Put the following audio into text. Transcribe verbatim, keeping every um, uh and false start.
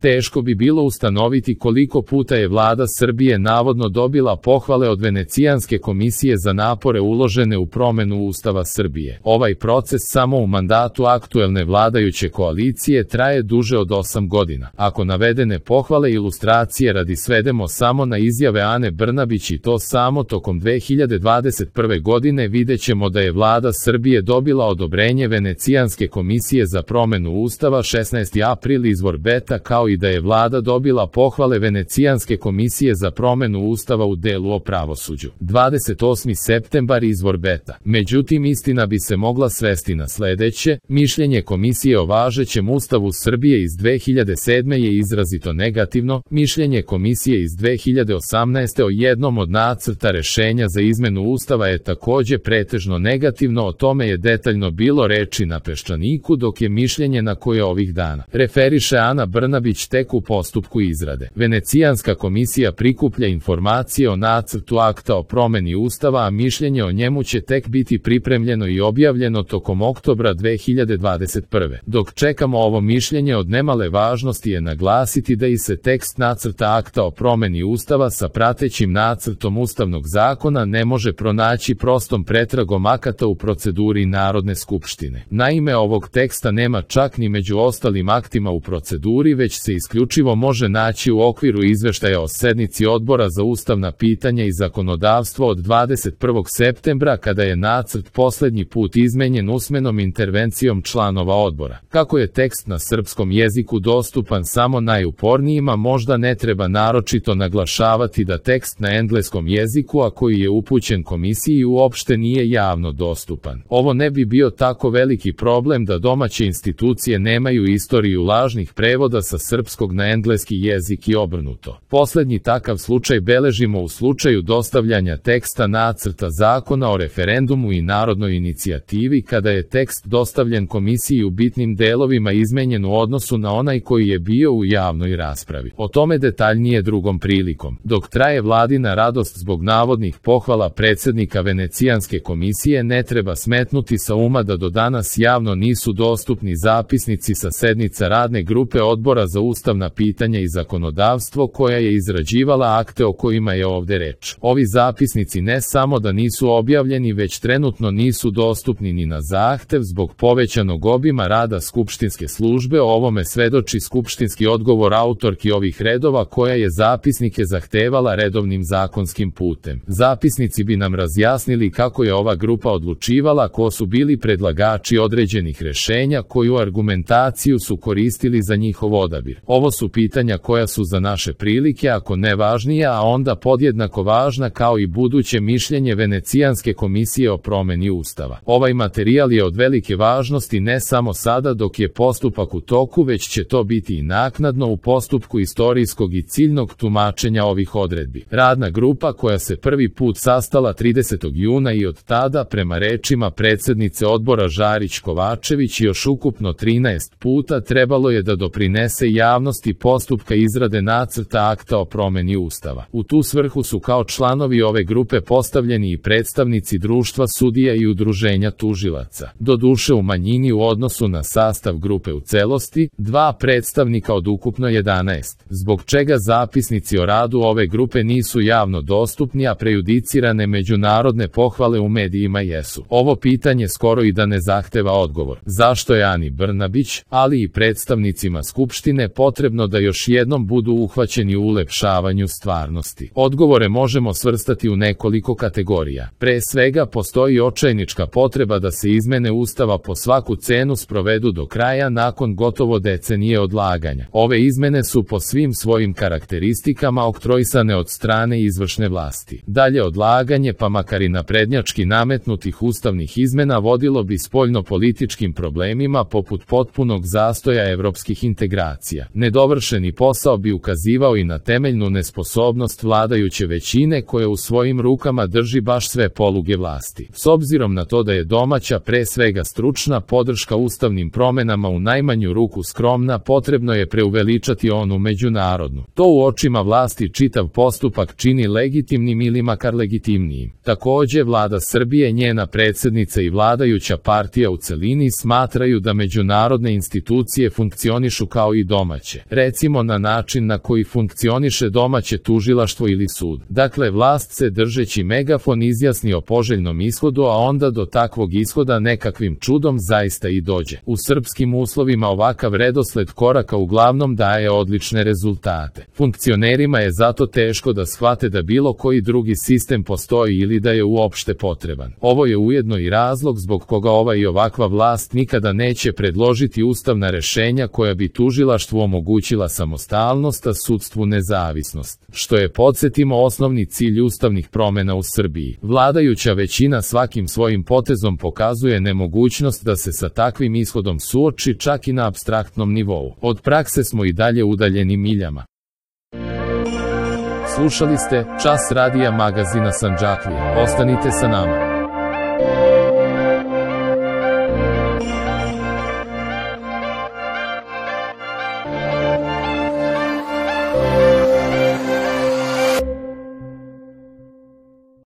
Teško bi bilo ustanoviti koliko puta je vlada Srbije navodno dobila pohvale od Venecijanske komisije za napore uložene u promenu Ustava Srbije. Ovaj proces samo u mandatu aktuelne vladajuće koalicije traje duže od osam godina. Ako navedene pohvale i ilustracije radi svedemo samo na izjave Ane Brnabić i to samo tokom dve hiljade dvadeset prve godine, videćemo da je vlada Srbije dobila odobrenje Venecijanske komisije za promenu Ustava šesnaesti april izvor Beta, kao i da je vlada dobila pohvale Venecijanske komisije za promenu Ustava u delu o pravosuđu. dvadeset osmi septembar izvor Beta. Međutim, istina bi se mogla svesti na sledeće: mišljenje komisije o važećem Ustavu Srbije iz dve hiljade sedme je izrazito negativno, mišljenje komisije iz dve hiljade osamnaeste o jednom od nacrta rešenja za izmenu Ustava je takođe pretežno negativno, o tome je detaljno bilo reči na Peščaniku, dok je mišljenje na koje ovih dana referiše Ana Brnabić tek u postupku izrade. Venecijanska komisija prikuplja informacije o nacrtu akta o promeni Ustava, a mišljenje o njemu će tek biti pripremljeno i objavljeno tokom oktobra dve hiljade dvadeset prve. Dok čekamo ovo mišljenje, od nemale važnosti je naglasiti da i se tekst nacrta akta o promeni Ustava sa pratećim nacrtom Ustavnog zakona ne može pronaći prostom pretragom akata u proceduri Narodne skupštine. Naime, ovog teksta nema čak ni među ostalim aktima u proceduri, već se isključivo može naći u okviru izveštaja o sednici Odbora za ustavna pitanja i zakonodavstvo od dvadeset prvog septembra, kada je nacrt poslednji put izmenjen usmenom intervencijom članova odbora. Kako je tekst na srpskom jeziku dostupan samo najupornijima, možda ne treba naročito naglašavati da tekst na engleskom jeziku, a koji je upućen komisiji, uopšte nije javno dostupan. Ovo ne bi bio tako veliki problem da domaće institucije nemaju istoriju lažnih prevoda sa srpskog na engleski jezik i obrnuto. Poslednji takav slučaj beležimo u slučaju dostavljanja teksta nacrta zakona o referendumu i narodnoj inicijativi, kada je tekst dostavljen komisiji u bitnim delovima izmenjen u odnosu na onaj koji je bio u javnoj raspravi. O tome detaljnije drugom prilikom. Dok traje vladina radost zbog navodnih pohvala predsednika Venecijanske komisije, ne treba smetnuti sa uma da do danas javno nisu dostupni zapisnici sa sednica radne grupe Odbora za ustavna pitanja i zakonodavstvo, koja je izrađivala akte o kojima je ovde reč. Ovi zapisnici ne samo da nisu objavljeni, već trenutno nisu dostupni ni na zahtev zbog povećanog obima rada skupštinske službe. O ovome svedoči skupštinski odgovor autorki ovih redova, koja je zapisnike zahtevala redovnim zakonskim putem. Zapisnici bi nam razjasnili kako je ova grupa odlučivala, ko su bili predlagači određenih rešenja, koju argumentaciju su koristili za njihov odabir. Ovo su pitanja koja su za naše prilike, ako ne važnija, a onda podjednako važna kao i buduće mišljenje Venecijanske komisije o promeni Ustava. Ovaj materijal je od velike važnosti ne samo sada dok je postupak u toku, već će to biti i naknadno u postupku istorijskog i ciljnog tumačenja ovih odredbi. Radna grupa, koja se prvi put sastala tridesetog juna i od tada, prema rečima predsednice odbora Žarić Kovačević, još ukupno trinaest puta trebalo je da doprinese javnosti postupka izrade nacrta akta o promeni Ustava. U tu svrhu su kao članovi ove grupe postavljeni i predstavnici društva sudija i udruženja tužilaca. Doduše u manjini u odnosu na sastav grupe u celosti, dva predstavnika od ukupno jedanaest, zbog čega zapisnici o radu ove grupe nisu javno dostupni, a prejudicirane međunarodne pohvale u medijima jesu. Ovo pitanje skoro i da ne zahteva odgovor. Zašto je Ani Brnabić, ali i predstavnicima Skupštine, potrebno da još jednom budu uhvaćeni u ulepšavanju stvarnosti? Odgovore možemo svrstati u nekoliko kategorija. Pre svega, postoji očajnička potreba da se izmene Ustava po svaku cenu sprovedu do kraja nakon gotovo decenije odlaganja. Ove izmene su po svim svojim karakteristikama oktroisane od strane izvršne vlasti. Dalje odlaganje, pa makar i naprednjački nametnutih ustavnih izmena, vodilo bi spoljno-političkim problemima poput potpunog zastoja evropskih integracija. Nedovršeni posao bi ukazivao i na temeljnu nesposobnost vladajuće većine, koja u svojim rukama drži baš sve poluge vlasti. S obzirom na to da je domaća, pre svega stručna, podrška ustavnim promenama u najmanju ruku skromna, potrebno je preuveličati onu međunarodnu. To u očima vlasti čitav postupak čini legitimnim ili makar legitimnijim. Takođe, vlada Srbije, njena predsednica i vladajuća partija u celini smatraju da međunarodne institucije funkcionišu kao i domaće domaće, recimo na način na koji funkcioniše domaće tužilaštvo ili sud. Dakle, vlast se držeći megafon izjasni o poželjnom ishodu, a onda do takvog ishoda nekakvim čudom zaista i dođe. U srpskim uslovima ovakav redosled koraka uglavnom daje odlične rezultate. Funkcionerima je zato teško da shvate da bilo koji drugi sistem postoji ili da je uopšte potreban. Ovo je ujedno i razlog zbog koga ova i ovakva vlast nikada neće predložiti ustavna rešenja koja bi tužilaštvu omogućila samostalnost, a sudstvu nezavisnost, što je, podsjetimo, osnovni cilj ustavnih promena u Srbiji. Vladajuća većina svakim svojim potezom pokazuje nemogućnost da se sa takvim ishodom suoči čak i na apstraktnom nivou. Od prakse smo i dalje udaljeni miljama. Slušali ste Čas radija magazina Sandžaklija. Ostanite sa nama.